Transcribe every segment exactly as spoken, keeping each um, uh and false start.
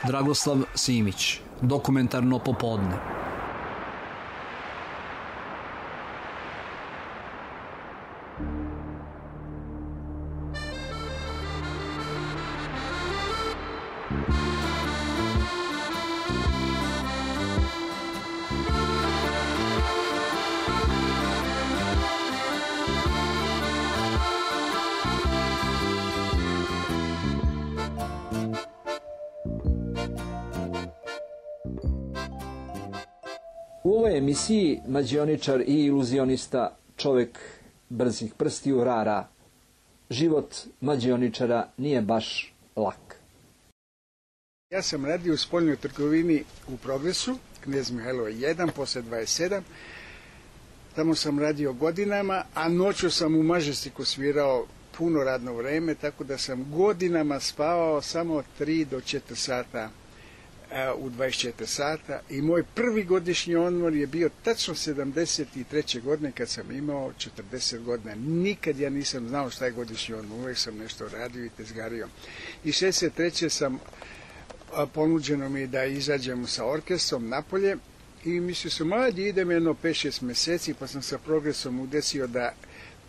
Dragoslav Simić, Dokumentarno popodne. U ovoj emisiji mađioničar i iluzionista, čovjek brzih prstiju, Rara. Život mađioničara nije baš lak. Ja sam radio u spoljnoj trgovini u Progresu, Knez Mihajlova jedan, posle dvadeset sedam. Tamo sam radio godinama, a noću sam u Mažestiku svirao puno radno vreme, tako da sam godinama spavao samo tri do četiri sata u dvadeset četiri sata, i moj prvi godišnji odmor je bio tačno sedamdeset treće godine kad sam imao četrdeset godina. Nikad ja nisam znao šta je godišnji odmor, uvijek sam nešto radio i tezgario. I šezdeset treće sam ponuđeno mi da izađem sa orkestrom napolje i mislio sam, ajde idem jedno pet šest mjeseci, pa sam sa Progresom udesio da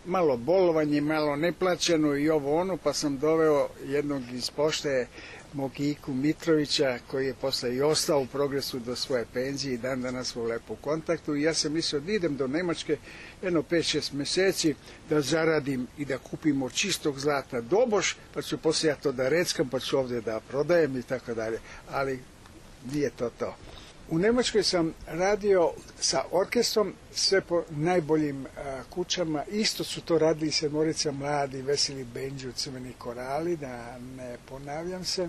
malo bolovanje, malo neplaćeno i ovo ono, pa sam doveo jednog iz pošte, mog Iku Mitrovića, koji je posle i ostao u Progresu do svoje penzije i dan danas smo lepo u kontaktu, i ja sam mislio da idem do Nemačke jedno pet šest mjeseci da zaradim i da kupimo čistog zlata doboš, pa ću poslije ja to da reckam, pa ću ovdje da prodajem i tako dalje, ali nije to to. U Nemačkoj sam radio sa orkestrom, sve po najboljim a, kućama. Isto su to radili sedmorica mladi, Veseli Benđu, Crveni korali, da ne ponavljam se.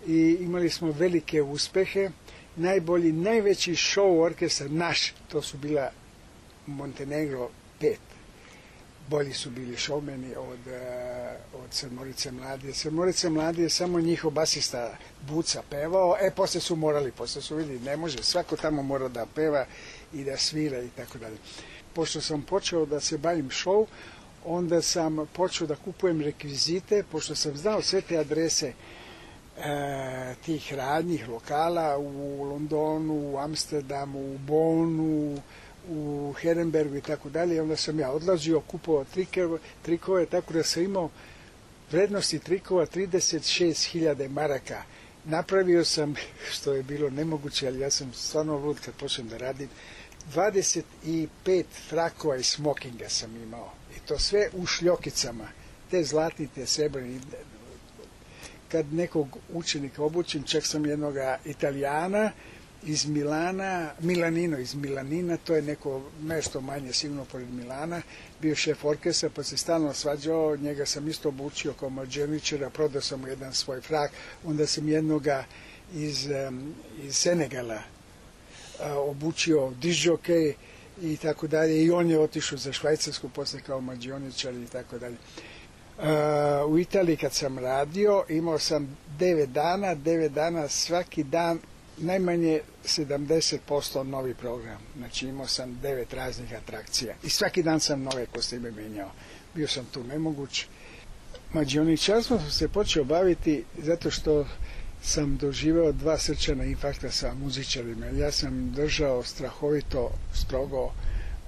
I imali smo velike uspehe. Najbolji, najveći show orkestar naš, to su bila Montenegro pet. Bolji su bili šoumeni od, od Sedmorice mladije. Sedmorice mladije je samo njihov basista Buca pevao, e, posle su morali, posle su vidjeli, ne može, svako tamo mora da peva i da svira i tako dalje. Pošto sam počeo da se bavim show, onda sam počeo da kupujem rekvizite, pošto sam znao sve te adrese e, tih radnjih lokala u Londonu, u Amsterdamu, u Bonu, u Herenbergu i tako dalje. Onda sam ja odlazio, kupovao trikove, trikove, tako da sam imao vrednosti trikova trideset šest hiljada maraka. Napravio sam, što je bilo nemoguće, ali ja sam stvarno lud kad počnem da radim, dvadeset pet frakova i smokinga sam imao. I to sve u šljokicama, te zlatni, te srebrni. Kad nekog učenika obučim, čak sam jednoga Italijana iz Milana, Milanino iz Milanina, to je neko nešto manje sigurno pored Milana, bio šef orkestra, pa se stalno svađao, njega sam isto obučio kao mađioničara, prodao sam mu jedan svoj frak, onda sam jednoga iz, iz Senegala obučio dižokej i tako dalje, i on je otišao za Švajcarsku posle kao mađioničar i tako dalje. U Italiji kad sam radio, imao sam devet dana, devet dana svaki dan, najmanje sedamdeset posto novi program. Znači imao sam devet raznih atrakcija i svaki dan sam nove kostime menjao. Bio sam tu nemoguć. Mađioničarstvom sam se počeo baviti zato što sam doživeo dva srčana infarkta sa muzičarima. Ja sam držao strahovito strogo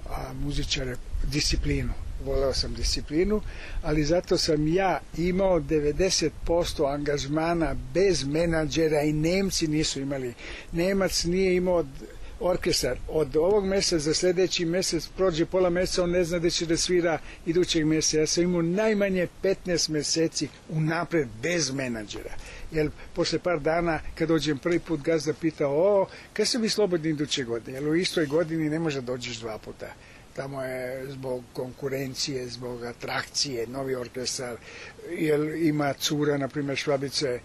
a, muzičare disciplinu. Voleo sam disciplinu, ali zato sam ja imao devedeset posto angažmana bez menadžera i Nemci nisu imali. Nemac nije imao orkestar. Od ovog mjeseca za sljedeći mjesec prođe pola mjeseca, on ne zna da će da svira idućeg mjeseca. Ja sam imao najmanje petnaest mjeseci unapred bez menadžera. Jer posle par dana kad dođem prvi put, gazda pita, o, kad se bi slobodni iduće godine? Jer u istoj godini ne može dođeš dva puta. Tamo je zbog konkurencije, zbog atrakcije, novi orkestar, jer ima cura, na primjer Švabice,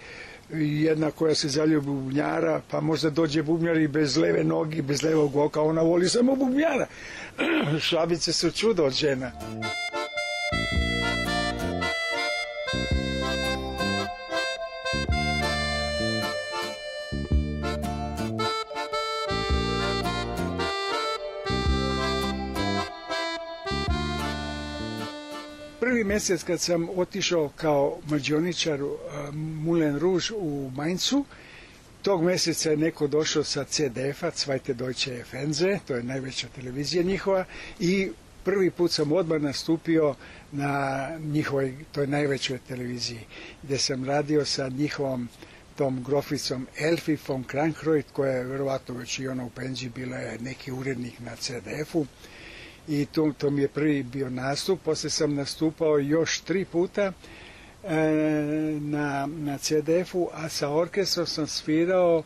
jedna koja se zaljubi u bubnjara, pa možda dođe bubnjar i bez leve nogi, bez levog oka, ona voli samo bubnjara. Švabice su čudo od žena. Prvi mjesec kad sam otišao kao mađioničar uh, Moulin Rouge u Mainzu, Tog mjeseca je neko došao sa C D F-a, Zweite Deutsche Fernseh, to je najveća televizija njihova, i prvi put sam odmah nastupio na njihovoj, toj najvećoj televiziji, gdje sam radio sa njihovom tom groficom Elfi von Krankreuth, koja je vjerovatno već i ona u penziji, bila je neki urednik na C D F-u. I to, to mi je prvi bio nastup. Poslije sam nastupao još tri puta e, na, na C D F-u, a sa orkestrom sam svirao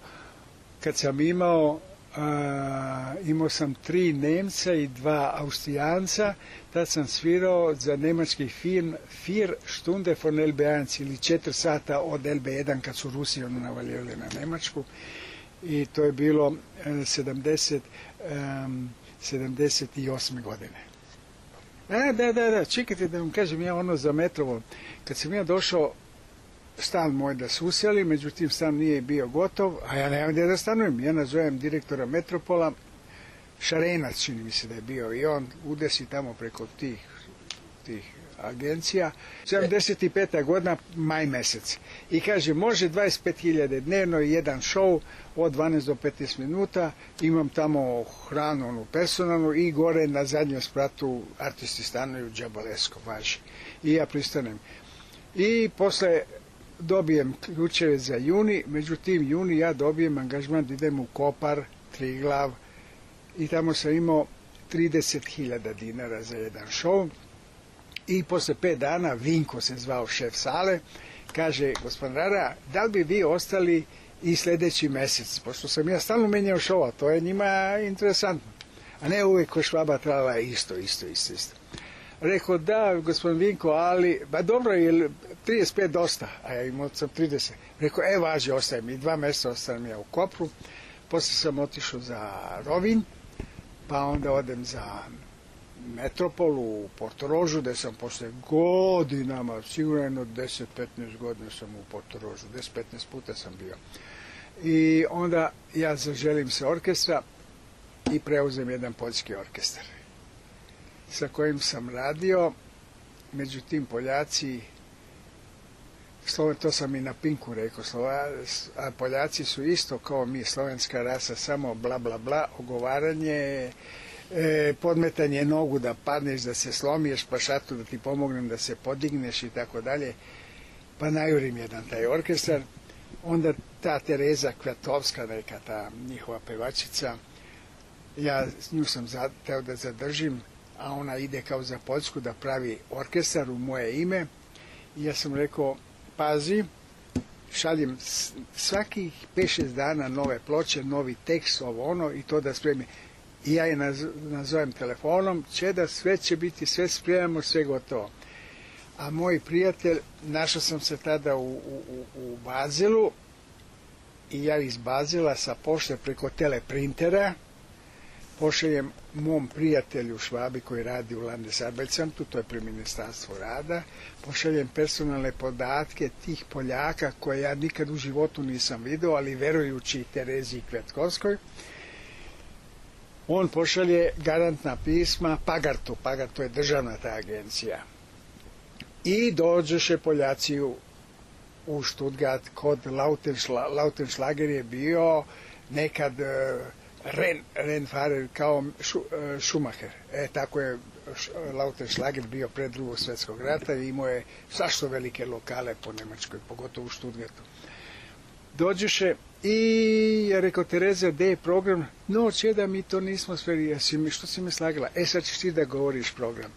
kad sam imao a, imao sam tri Nemca i dva Austrijanca. Tad sam svirao za nemački film Vier Stunde von L B jedan ili četiri sata od L B jedan kad su Rusi ono navaljivali na Njemačku. I to je bilo e, sedamdeset, um, sedamdeset osme godine. A, da, da, da, čekajte da vam kažem ja ono za Metropol. Kad sam ja došao, stan moj da su usjeli, međutim stan nije bio gotov, a ja nemam gdje da stanujem. Ja nazovem direktora Metropola, Šarenac čini mi se da je bio, i on udesi tamo preko tih, tih agencija. sedamdeset peta godina, maj mjesec. I kaže, može dvadeset pet hiljada dnevno i jedan show od dvanaest do petnaest minuta, imam tamo hranu onu personalnu i gore na zadnjem spratu artisti stanuju džabalesko, važi. I ja pristanem. I posle dobijem ključeve za juni, međutim juni ja dobijem angažman da idem u Kopar, Triglav, i tamo sam imao trideset hiljada dinara za jedan show. I posle pet dana, Vinko se zvao šef sale, kaže, gospodin Rara, da li bi vi ostali i sljedeći mjesec? Pošto sam ja stalno menjao šova, to je njima interesantno. A ne uvijek ko Švaba trala isto, isto, isto, isto. Rekao, da, gospodin Vinko, ali, ba dobro, je trideset pet dosta, a ja imao sam trideset. Rekao, e, važi, ostajem i dva mjeseca ostajem ja u Kopru. Poslije sam otišao za Rovinj, pa onda odem za Metropol u Portorožu, gdje sam posle godinama, sigurno deset do petnaest godina sam u Portorožu, deset do petnaest puta sam bio. I onda ja zaželim se orkestra i preuzem jedan poljski orkestar sa kojim sam radio. Međutim, Poljaci, to sam i na Pinku rekao, a Poljaci su isto kao mi, slovenska rasa, samo bla bla bla, ogovaranje, E, podmetanje nogu da padneš, da se slomiješ, pa šatu da ti pomognem da se podigneš i tako dalje. Pa najurim jedan taj orkestar. Onda ta Tereza Kvatovska, neka ta njihova pevačica, ja s nju sam teo da zadržim, a ona ide kao za Poljsku da pravi orkestar u moje ime. I ja sam rekao, pazi, šaljem svakih pet šest dana nove ploče, novi tekst, ovo ono, i to da spremi. I ja je nazovem telefonom, Čeda, sve će biti, sve spremamo, sve gotovo. A moj prijatelj, našao sam se tada u, u, u Bazelu, i ja iz Bazela sa pošte preko teleprintera pošaljem mom prijatelju Švabi koji radi u Landesarbeitsamtu, to je pri Ministarstvu rada, pošaljem personalne podatke tih Poljaka koje ja nikad u životu nisam vidio, ali verujući Terezi Kvetkovskoj. On pošalje garantna pisma Pagartu, Pagartu je državna ta agencija. I dođeše Poljaci u, u Stuttgart kod Lautenschla, Lautenschlager je bio nekad uh, Ren, Renfahrer kao šu, uh, Schumacher. E, tako je Lautenschlager bio pred drugog svjetskog rata i imao je sašto velike lokale po Nemačkoj, pogotovo u Stuttgartu. Dođeše i ja rekao, Tereza, gdje je program? No, Čeda, mi to nismo sve, što si me slagala? E, sad ćeš ti da govoriš program.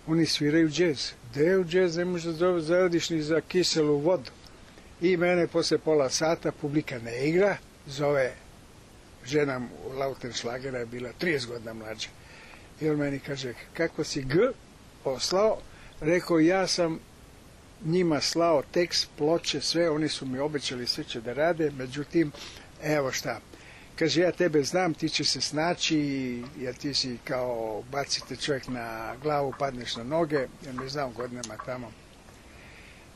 Oni sviraju džez. Gdje u džez ne možeš da zaradiš ni za kiselu vodu. I mene posle pola sata publika ne igra, zove žena Lautenschlagera, je bila trideset godina mlađa. I on meni kaže, kako si G poslao? Rekao, ja sam njima slao tekst, ploče, sve, oni su mi obećali sve će da rade, međutim, evo šta, kaže, ja tebe znam, ti će se snaći, jer ti si kao bacite čovjek na glavu, padneš na noge, jer me znam godinama tamo,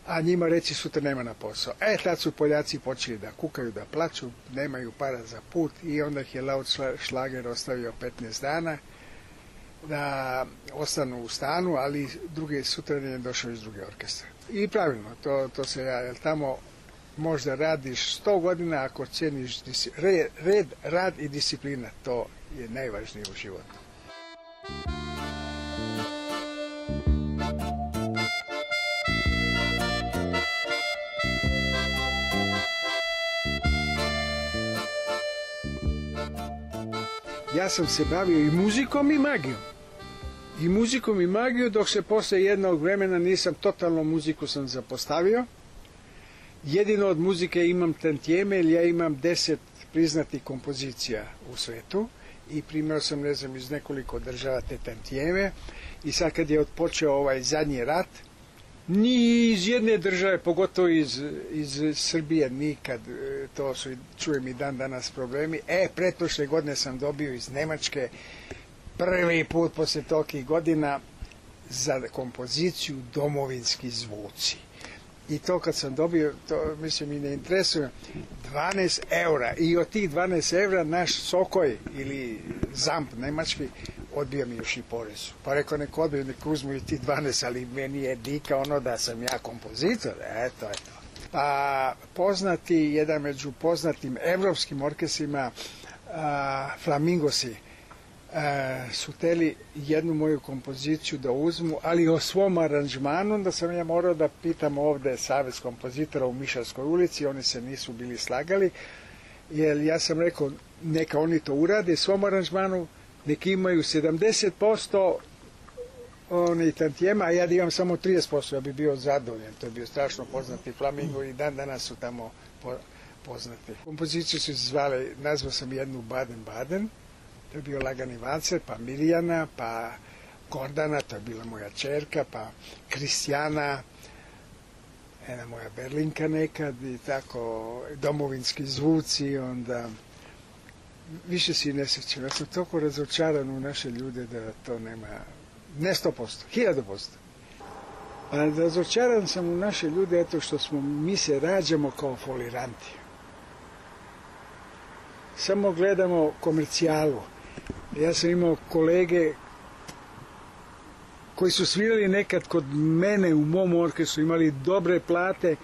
a njima reći sutra nema na posao. E, tad su Poljaci počeli da kukaju, da plaću, nemaju para za put, i onda ih je Lautenschlager ostavio petnaest dana, da ostanu u stanu, ali drugi sutra je došao iz druge orkestra. I pravilno, to, to se ja, jer tamo možda radiš sto godina ako ceniš red, red, rad i disciplina. To je najvažnije u životu. Ja sam se bavio i muzikom i magijom. I muzikom i magijom, dok se posle jednog vremena nisam totalno muziku sam zapostavio. Jedino od muzike imam tantijeme, jer ja imam deset priznatih kompozicija u svetu i primio sam, ne znam, iz nekoliko država te tantijeme. I sad kad je odpočeo ovaj zadnji rat, ni iz jedne države, pogotovo iz, iz Srbije, nikad, to su, čujem i dan danas problemi. E, pretprošle godine sam dobio iz Nemačke prvi put posle tolikih godina za kompoziciju Domovinski zvuci. I to kad sam dobio, to mislim i ne interesuje, dvanaest eura. I od tih dvanaest eura naš Sokoj ili Zamp nemački odbio mi još i porezu. Pa rekao, neko odbio, neko uzmu i ti dvanaest, ali meni je dika ono da sam ja kompozitor. Eto, eto. Pa poznati, jedan među poznatim evropskim orkestrima, a, Flamingosi, a, su teli jednu moju kompoziciju da uzmu, ali o svom aranžmanu, da sam ja morao da pitam ovde savez kompozitora u Mišarskoj ulici, oni se nisu bili slagali, jer ja sam rekao, neka oni to urade svom aranžmanu, neki imaju sedamdeset posto oni tantijema, a ja da imam samo trideset posto, ja bi bio zadovoljan. To je bio strašno poznati Flamingo i dan danas su tamo po, poznati. Kompoziciju su zvale, nazvao sam jednu Baden-Baden, to je bio Lagani valcer, pa Mirjana, pa Gordana, to je bila moja čerka, pa Kristijana, jedna moja Berlinka nekad i tako, Domovinski zvuci, onda više si ne sjećam. Ja sam toliko razočaran u naše ljude da to nema, ne sto posto, hiljadu posto. A razočaran sam u naše ljude eto što smo, mi se rađamo kao foliranti. Samo gledamo komercijalu. Ja sam imao kolege koji su svirali nekad kod mene u mom orkestru, imali dobre plate,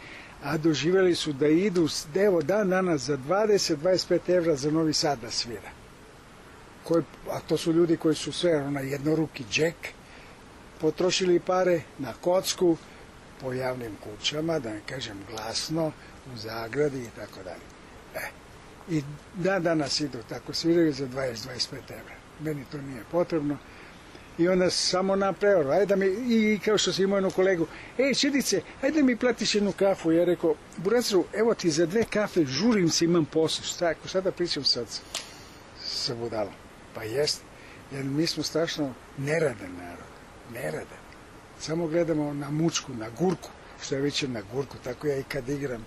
a doživjeli su da idu, evo dan danas za dvadeset do dvadeset pet evra za Novi Sad da svira. Koji, a to su ljudi koji su sve na jednoruki džek, potrošili pare na kocku, po javnim kućama, da ne kažem glasno, u zagradi i tako dalje. E, i dan danas idu tako, sviraju za dvadeset do dvadeset pet evra. Meni to nije potrebno. I onda samo na preoru, ajde da mi, i kao što sam imao jednu kolegu, ej, Čedice, ajde mi platiš jednu kafu. Ja rekao, Buracaru, evo ti za dve kafe, žurim se, imam posao. Šta, ako sada pričam sad sa budalom? Pa jest, jer mi smo strašno neradan narod, neradan. Samo gledamo na mučku, na gurku, što je već na gurku, tako ja i kad igram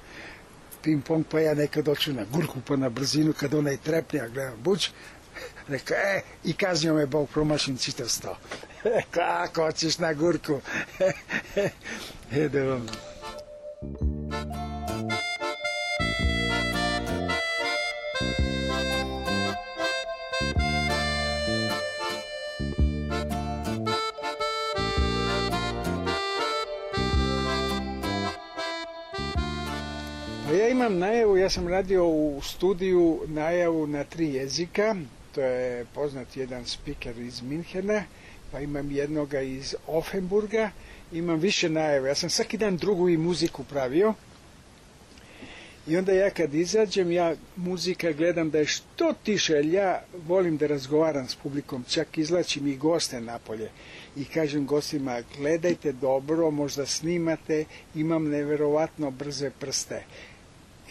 ping pong, pa ja nekad oću na gurku, pa na brzinu, kad onaj trepne, ja gledam buć, rekao, e, i kaznio me Bog, promašim čitav sto. Kako hoćeš na gurku? Ede vam. Pa ja imam najavu, ja sam radio u studiju najavu na tri jezika. To je poznat jedan spiker iz Minhena, pa imam jednoga iz Offenburga, imam više najave. Ja sam svaki dan drugu i muziku pravio i onda ja kad izađem, ja muzika gledam da je što tiše, jer ja volim da razgovaram s publikom, čak izlačim i goste napolje i kažem gostima, gledajte dobro, možda snimate, imam neverovatno brze prste.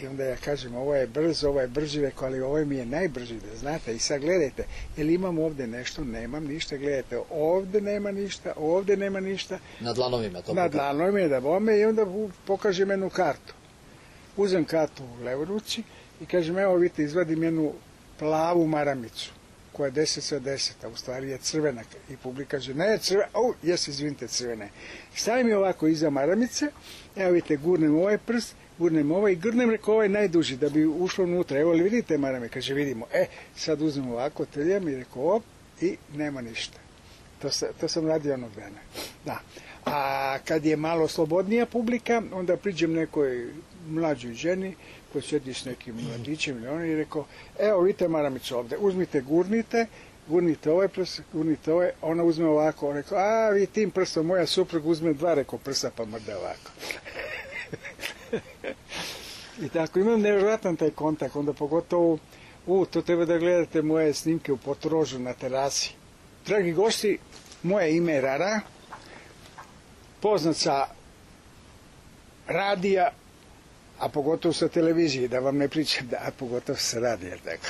I onda ja kažem, ovo je brzo, ovo je brži, rekao, ali ovo mi je najbrži, da znate. I sad gledajte, jel imam ovde nešto? Nemam ništa, gledajte, ovde nema ništa, ovde nema ništa. Na dlanovima to? Na dlanovima, da bome, i onda pokažem jednu kartu. Uzem kartu u levoj ruci i kažem, evo vidite, izvadim jednu plavu maramicu, koja je deset sa deset, a u stvari je crvena. I publika kaže, ne, crvena, o, jes, izvinite, crvene. Stavim je ovako iza maramice, evo vidite, gurnem ovaj prst, gurnem ovaj i grnem, rekao, ovaj najduži, da bi ušlo unutra. Evo li vidite marame? Kaže, vidimo. E, sad uzmem ovako, trljam i rekao, op, i nema ništa. To, sa, to sam radio onog dana. Da. A kad je malo slobodnija publika, onda priđem nekoj mlađoj ženi koja sjedi s nekim mladićem ili on i rekao, evo vidite maramicu ovdje, uzmite, gurnite, gurnite ovaj prst, gurnite ovaj, ona uzme ovako, on rekao, a vi tim prstom, moja supruga uzme dva, rekao prsta pa mrde ovako. I tako, imam nevjerojatan taj kontakt, onda pogotovo, u, to treba da gledate moje snimke u Portorožu na terasi. Dragi gosti, moje ime je Rara, poznat sa radija, a pogotovo sa televizije, da vam ne pričam, da, a pogotovo sa radija, tako.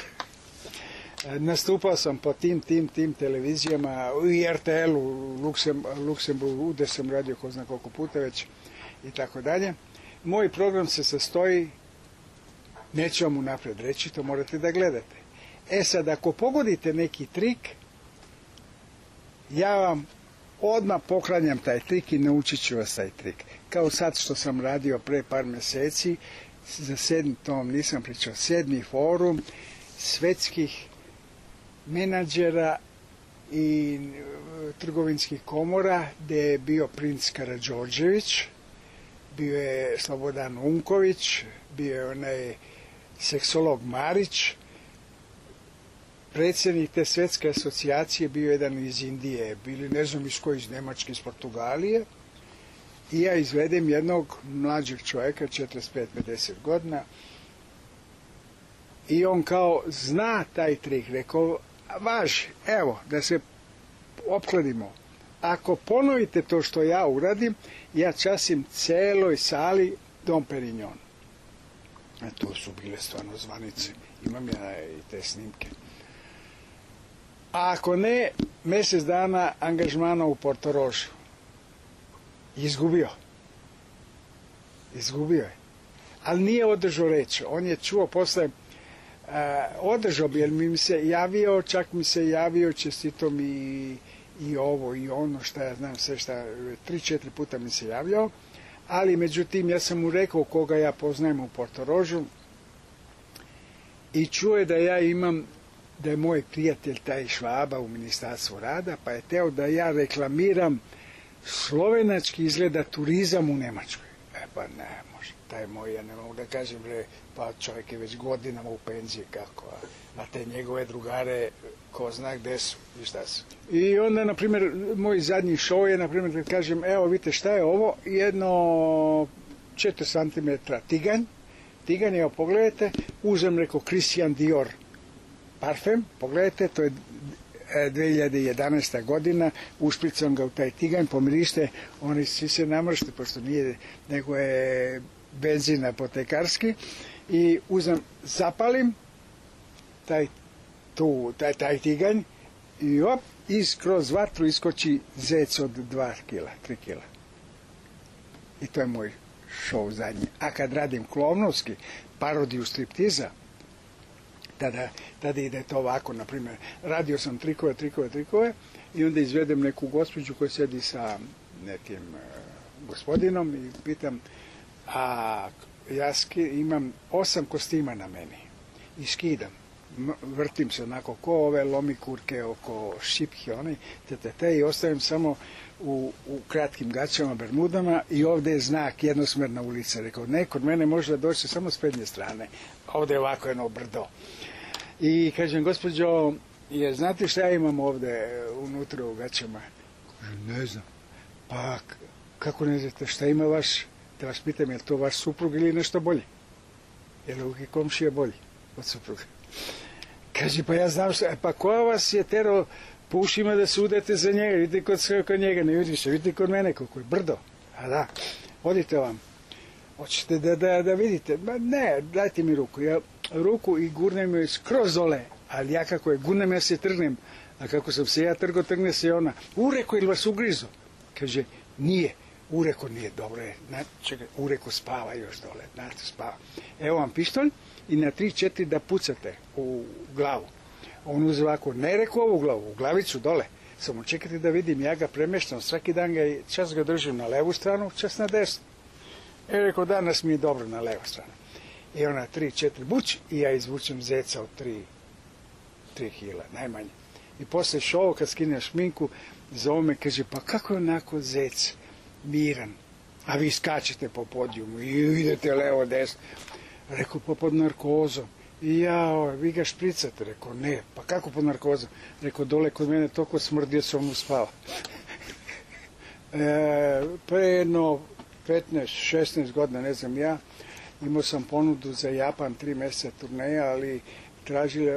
Nastupao sam po tim, tim, tim televizijama, i R T L u Luksem, Luksemburgu, gde sam radio ko zna koliko puta već, i tako dalje. Moj program se sastoji, neću vam unapred reći, to morate da gledate. E sad, ako pogodite neki trik, ja vam odmah poklanjam taj trik i naučit ću vas taj trik. Kao sad što sam radio pre par mjeseci, za sedmi, to vam nisam pričao, sedmi forum svetskih menadžera i trgovinskih komora, gde je bio princ Karađorđević, bio je Slobodan Unković, bio je onaj seksolog Marić, predsjednik te svetske asocijacije bio jedan iz Indije, bili ne znam iz koji, iz Nemačke, iz Portugalije, i ja izvedem jednog mlađeg čovjeka, četrdeset pet pedeset godina, i on kao zna taj trik, rekao, važi, evo, da se opkladimo, ako ponovite to što ja uradim, ja časim celoj sali Dom Perignon. A to su bile stvarno zvanice, imam ja i te snimke. A ako ne, mjesec dana angažmana u Portorožu. Izgubio. Izgubio je. Ali nije održao reč. On je čuo posle, uh, održao bi, jer mi se javio, čak mi se javio, čestito mi i ovo i ono, šta ja znam, sve šta, tri, četiri puta mi se javljao, ali međutim ja sam mu rekao koga ja poznajem u Portorožu i čuo je da ja imam, da je moj prijatelj taj Švaba u Ministarstvu rada, pa je teo da ja reklamiram slovenački izgleda turizam u Nemačkoj. E pa ne, može, taj moj, ja ne mogu da kažem, bre, pa čovjek je već godinama u penziji, kako, a, a te njegove drugare, ko zna gde su i šta su. I onda, na primjer, moj zadnji show je, na primjer, da kažem, evo, vidite šta je ovo, jedno četiri centimetra tiganj, tiganj, evo, pogledajte, uzem, rekao, Christian Dior parfem, pogledajte, to je dve hiljade jedanaesta godina, ušpricam ga u taj tiganj, pomirište, oni svi se namršte, pošto nije, nego je benzin apotekarski, i uzem, zapalim taj, tu, taj, taj tiganj i op, iz kroz vatru iskoči zec od dva kila, tri kila. I to je moj show zadnji. A kad radim klovnovski, parodiju striptiza, tada, tada ide to ovako, na primjer, radio sam trikove, trikove, trikove i onda izvedem neku gospođu koja sedi sa nekim uh, gospodinom i pitam, a ja ski, imam osam kostima na meni i skidam, vrtim se onako ko ove lomikurke oko šipke, one, te, te, te, i ostavim samo u, u kratkim gaćama, bermudama i ovdje je znak jednosmerna ulica. Rekao, ne, kod mene može doći samo s prednje strane, ovdje je ovako jedno brdo. I kažem, gospođo, jer znate šta ja imam ovdje unutra u gaćama? Kaže, ne znam. Pa, kako ne znate, šta ima vaš, da vas pitam, je li to vaš suprug ili nešto bolje? Je li uvijek komšija bolji od supruga? Kaže, pa ja znam šta, pa koja vas je terao po ušima da se udete za njega, vidite kod, kod njega, ne vidiš, vidite kod mene koliko je brdo. A da, odite vam. Hoćete da, da, da vidite? Ma ne, dajte mi ruku. Ja ruku i gurnem joj skroz dole, ali ja kako je gurnem, ja se trgnem. A kako sam se ja trgo, trgne se ona. Ureko, ili vas ugrizo? Kaže, nije. Ureko nije, dobro je. Čekaj, Ureko spava još dole. Znate, spava. Evo vam pištolj i na tri, četiri da pucate u glavu. On uzme ovako, ne reko ovu glavu, u glavicu dole. Samo čekajte da vidim, ja ga premeštam. Svaki dan ga, čas ga držim na levu stranu, čas na desnu. E, rekao, danas mi je dobro na levu stranu. I ona tri, četiri buć i ja izvučem zeca od tri, tri kila, najmanje. I posle šova, kad skine šminku, zove me, kaže, pa kako je onako zec miran? a vi skačete po podijumu i idete levo, desno. Rekao, pa pod narkozom. I ja, vi ga špricate? Rekao, ne. Pa kako pod narkozom? Rekao, dole kod mene toliko smrdio sam mu spava. e, pre jedno petnaest šesnaest godina, ne znam ja, imao sam ponudu za Japan, tri mjeseca turneja, ali tražili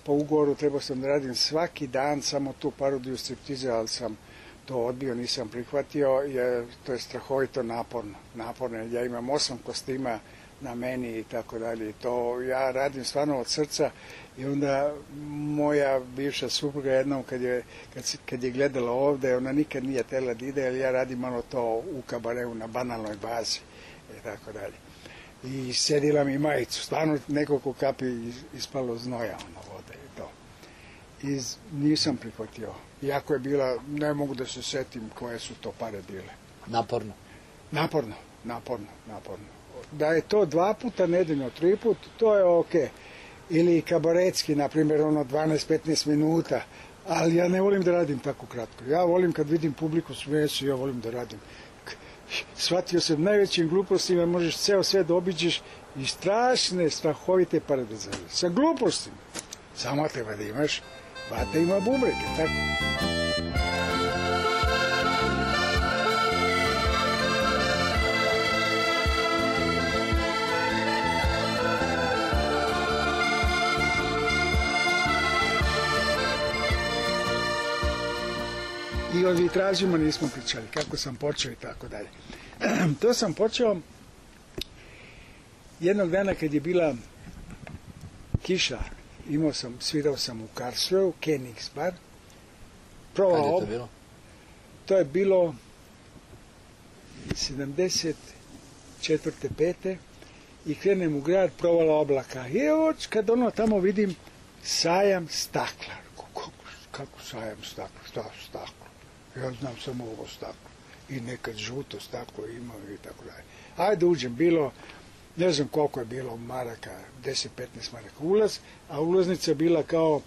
po ugovoru, trebao sam da radim svaki dan samo tu parodiju striptize, ali sam to odbio, nisam prihvatio, jer to je strahovito naporno. Naporno, ja imam osam kostima na meni i tako dalje. To ja radim stvarno od srca i onda moja bivša supruga jednom kad je, kad, kad je gledala ovde, ona nikad nije tela da ide, jer ja radim malo to u kabareu na banalnoj bazi i tako dalje. I sedila mi majicu, stvarno nekoliko kapi ispalo znoja ono vode i to. I nisam prihvatio. Iako je bila, ne mogu da se setim koje su to pare bile. Naporno. Naporno, naporno, naporno. Da je to dva puta nedeljno, tri put, to je okej. Ili kabaretski, na primjer, ono dvanaest petnaest minuta, ali ja ne volim da radim tako kratko. Ja volim kad vidim publiku smeje se, ja volim da radim. Shvatio sam najvećim glupostima, možeš ceo sve da obiđeš i strašne, strahovite pare da zaradiš. Sa glupostima. Samo treba da imaš vata ima bubrege, tako? I o vitražima nismo pričali, kako sam počeo i tako dalje. To sam počeo jednog dana kad je bila kiša, imao sam, svirao sam u Karlsruheu, Königsbar. Kad je to bilo? To je bilo sedamdeset četvrte pete i krenem u grad, provala oblaka. I oč, kad ono tamo vidim sajam stakla. Kako, kako sajam stakla? Šta stakla? Ja znam samo ovo staklo. I nekad žuto staklo imao i tako dalje. Ajde uđem, bilo, ne znam koliko je bilo maraka, deset petnaest maraka ulaz, a ulaznica bila kao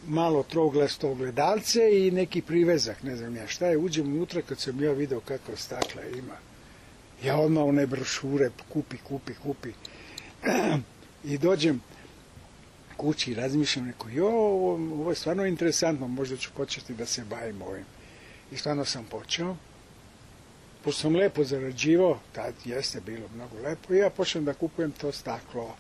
malo trouglasto ogledalce i neki privezak, ne znam ja šta je. Uđem unutra kad sam ja video kakva stakla ima. Ja odmah one brošure kupi, kupi, kupi. I dođem kući i razmišljam, neko, jo, ovo, ovo je stvarno interesantno, možda ću početi da se bavim ovim. I stvarno sam počeo. Pošto sam lepo zarađivao, tad jeste bilo mnogo lepo, i ja počnem da kupujem to staklo.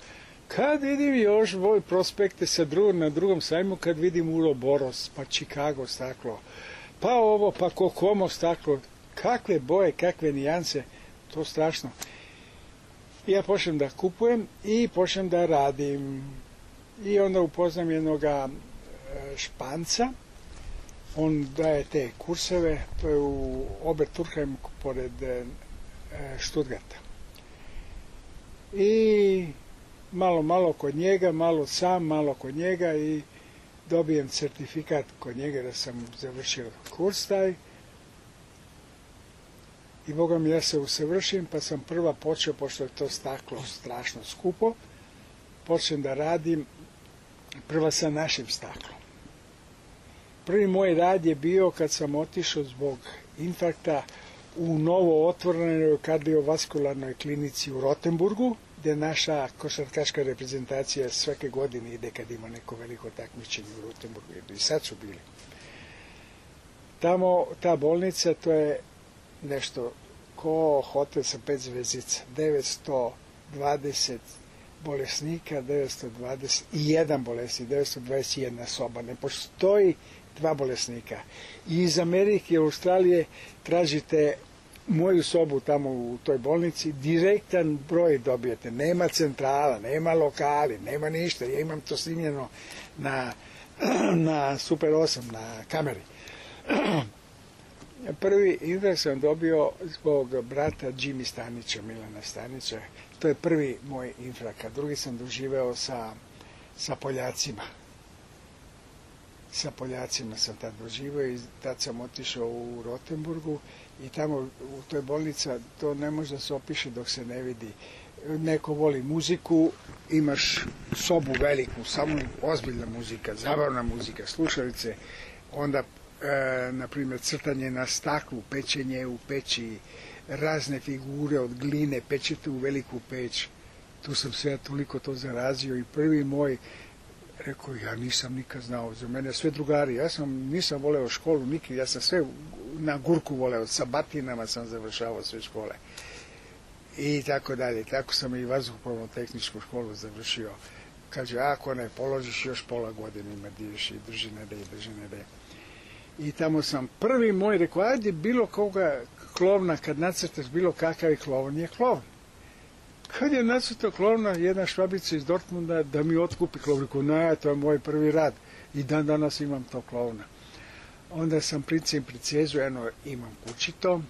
Kad vidim još moj prospekte sa drugom, na drugom sajmu, kad vidim Uroboros, pa Chicago staklo, pa ovo, pa Kokomo staklo, kakve boje, kakve nijanse, to strašno. I ja počnem da kupujem i počnem da radim. I onda upoznam jednoga Španca, on daje te kurseve, to je u Oberturheim pored Stuttgarta. I malo, malo kod njega, malo sam, malo kod njega i dobijem certifikat kod njega da sam završio kurs taj. I Boga mi, ja se usavršim, pa sam prva počeo, pošto je to staklo strašno skupo, počnem da radim prva sa našim staklom. Prvi moj rad je bio kad sam otišao zbog infarkta u novo otvorenoj kardiovaskularnoj klinici u Rotenburgu, gde naša košarkaška reprezentacija svake godine ide kad ima neko veliko takmičenje u Rotenburgu. I sad su bili. Tamo, ta bolnica, to je nešto ko hotel sa pet zvezdica. devetsto dvadeset bolesnika, devetsto dvadeset jedan bolesnik, devetsto dvadeset jedna soba. Ne postoji dva bolesnika. I iz Amerike i Australije tražite moju sobu tamo u toj bolnici, direktan broj dobijete. Nema centrala, nema lokali, nema ništa. Ja imam to snimljeno na, na Super osam, na kameri. Prvi infarkt sam dobio zbog brata Jimmy Stanića, Milana Stanića. To je prvi moj infarkt. Drugi sam doživeo sa, sa Poljacima. Sa Poljacima sam tad doživeo i tad sam otišao u Rotenburgu i tamo u toj bolnici to ne može da se opiše dok se ne vidi. Neko voli muziku, imaš sobu veliku, samo ozbiljna muzika, zabavna muzika, slušalice, onda, e, na primjer, crtanje na staklu, pečenje u peći, razne figure od gline, pečete u veliku peć. Tu sam sve toliko to zarazio i prvi moj, rekao, ja nisam nikad znao, za mene sve drugari, ja sam, nisam voleo školu nikad, ja sam sve na gurku voleo, sa batinama sam završavao sve škole. I tako dalje, tako sam i vazduhoplovnu tehničku školu završio. Kaže, ako ne položiš još pola godine ima diješ i drži ne dej, drži ne dej. I tamo sam prvi moj, rekao, ajde bilo koga klovna, kad nacrtaš bilo kakav je klovn, je klovn. Kad je nacrtao klovna, jedna švabica iz Dortmunda da mi otkupi klovn, rekao, ne, to je moj prvi rad. I dan danas imam to klovna. Onda sam princip pricezu, eno, imam kući to,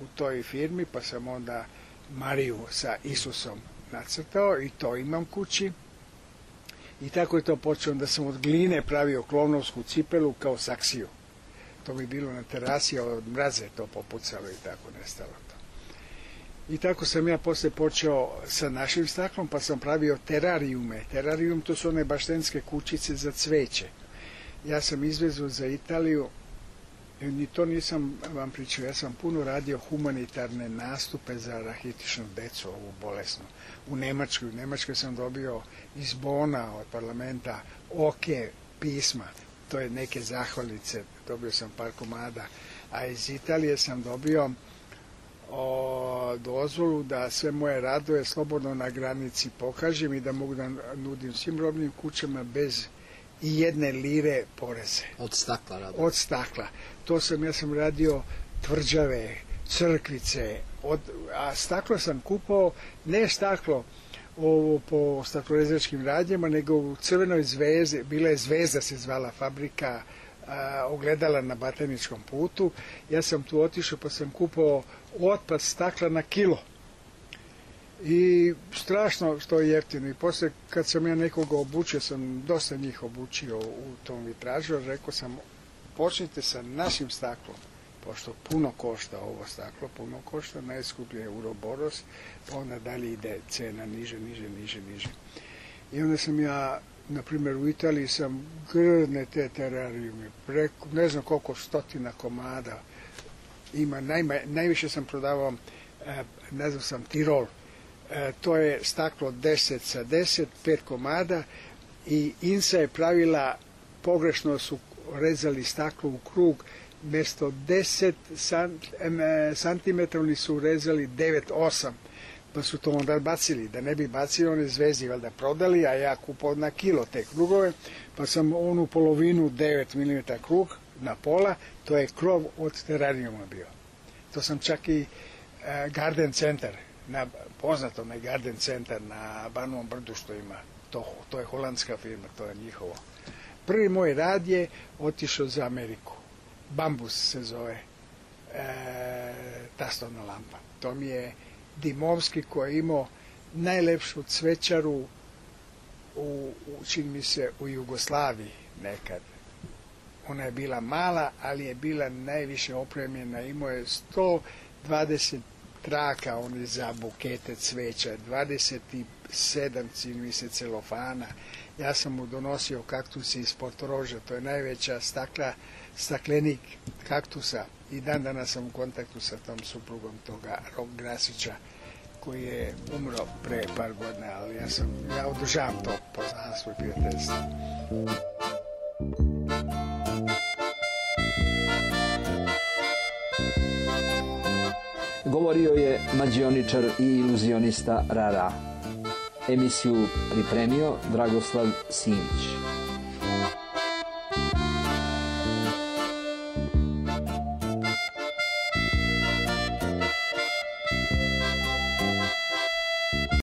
u toj firmi, pa sam onda Mariju sa Isusom nacrtao i to imam kući. I tako je to počeo, da sam od gline pravio klovnovsku cipelu kao saksiju. To bi bilo na terasi, a od mraze to popucalo i tako nestalo to. I tako sam ja posle počeo sa našim staklom, pa sam pravio terarijume. Terarijum to su one baštenske kućice za cveće. Ja sam izvezao za Italiju, ni to nisam vam pričao, ja sam puno radio humanitarne nastupe za rahitičnu decu, ovu bolesnu. U Nemačkoj, u Nemačkoj sam dobio iz Bona od parlamenta oke pisma, to je neke zahvalnice, dobio sam par komada, a iz Italije sam dobio o, dozvolu da sve moje radove slobodno na granici pokažem i da mogu da nudim svim robnim kućama bez i jedne lire poreze. Od stakla rado. Od stakla. To sam, ja sam radio tvrđave, crkvice, od, a staklo sam kupao, ne staklo ovo po staklorezačkim radnjama, nego u Crvenoj zvezdi, bila je Zvezda se zvala fabrika, a, ogledala na Bataničkom putu. Ja sam tu otišao pa sam kupao otpad stakla na kilo. I strašno što je jeftino. I posle kad sam ja nekoga obučio, sam dosta njih obučio u tom vitražu, rekao sam, počnite sa našim staklom, pošto puno košta ovo staklo, puno košta, najskuplje je Uroboros, pa onda dalje ide cena niže, niže, niže, niže. I onda sam ja, na primjer u Italiji sam grdne te terarijume, preko, ne znam koliko stotina komada ima, najma, najviše sam prodavao, ne znam sam, Tirol. E, to je staklo deset sa deset, pet komada i Insa je pravila, pogrešno su rezali staklo u krug, mjesto deset santimetra oni su rezali devet osam, pa su to onda bacili, da ne bi bacili one zvezdi, valjda prodali, a ja kupao na kilo te krugove, pa sam onu polovinu devet milimetara krug na pola, to je krov od terarijuma bio. To sam čak i e, Garden Center, na poznatom je Garden Centar na Banovom brdu što ima, to, to je holandska firma, to je njihovo. Prvi moj rad je otišao za Ameriku. Bambus se zove e, ta stolna lampa. To mi je Dimovski koji je imao najlepšu cvećaru u, u, čini mi se, u Jugoslaviji nekad. Ona je bila mala, ali je bila najviše opremljena. Imao je sto dvadeset traka oni za bukete cveća, dvadeset sedam čini mi se celofana. Ja sam mu donosio kaktuse iz Portoroža, to je najveća stakla, staklenik kaktusa. I dan danas sam u kontaktu sa tom suprugom toga Rok Grasića, koji je umro pre par godina, ali ja sam, ja održavam to poznanstvo i prijateljstvo. Govorio je mađioničar i iluzionista Rara. Emisiju pripremio Dragoslav Simić.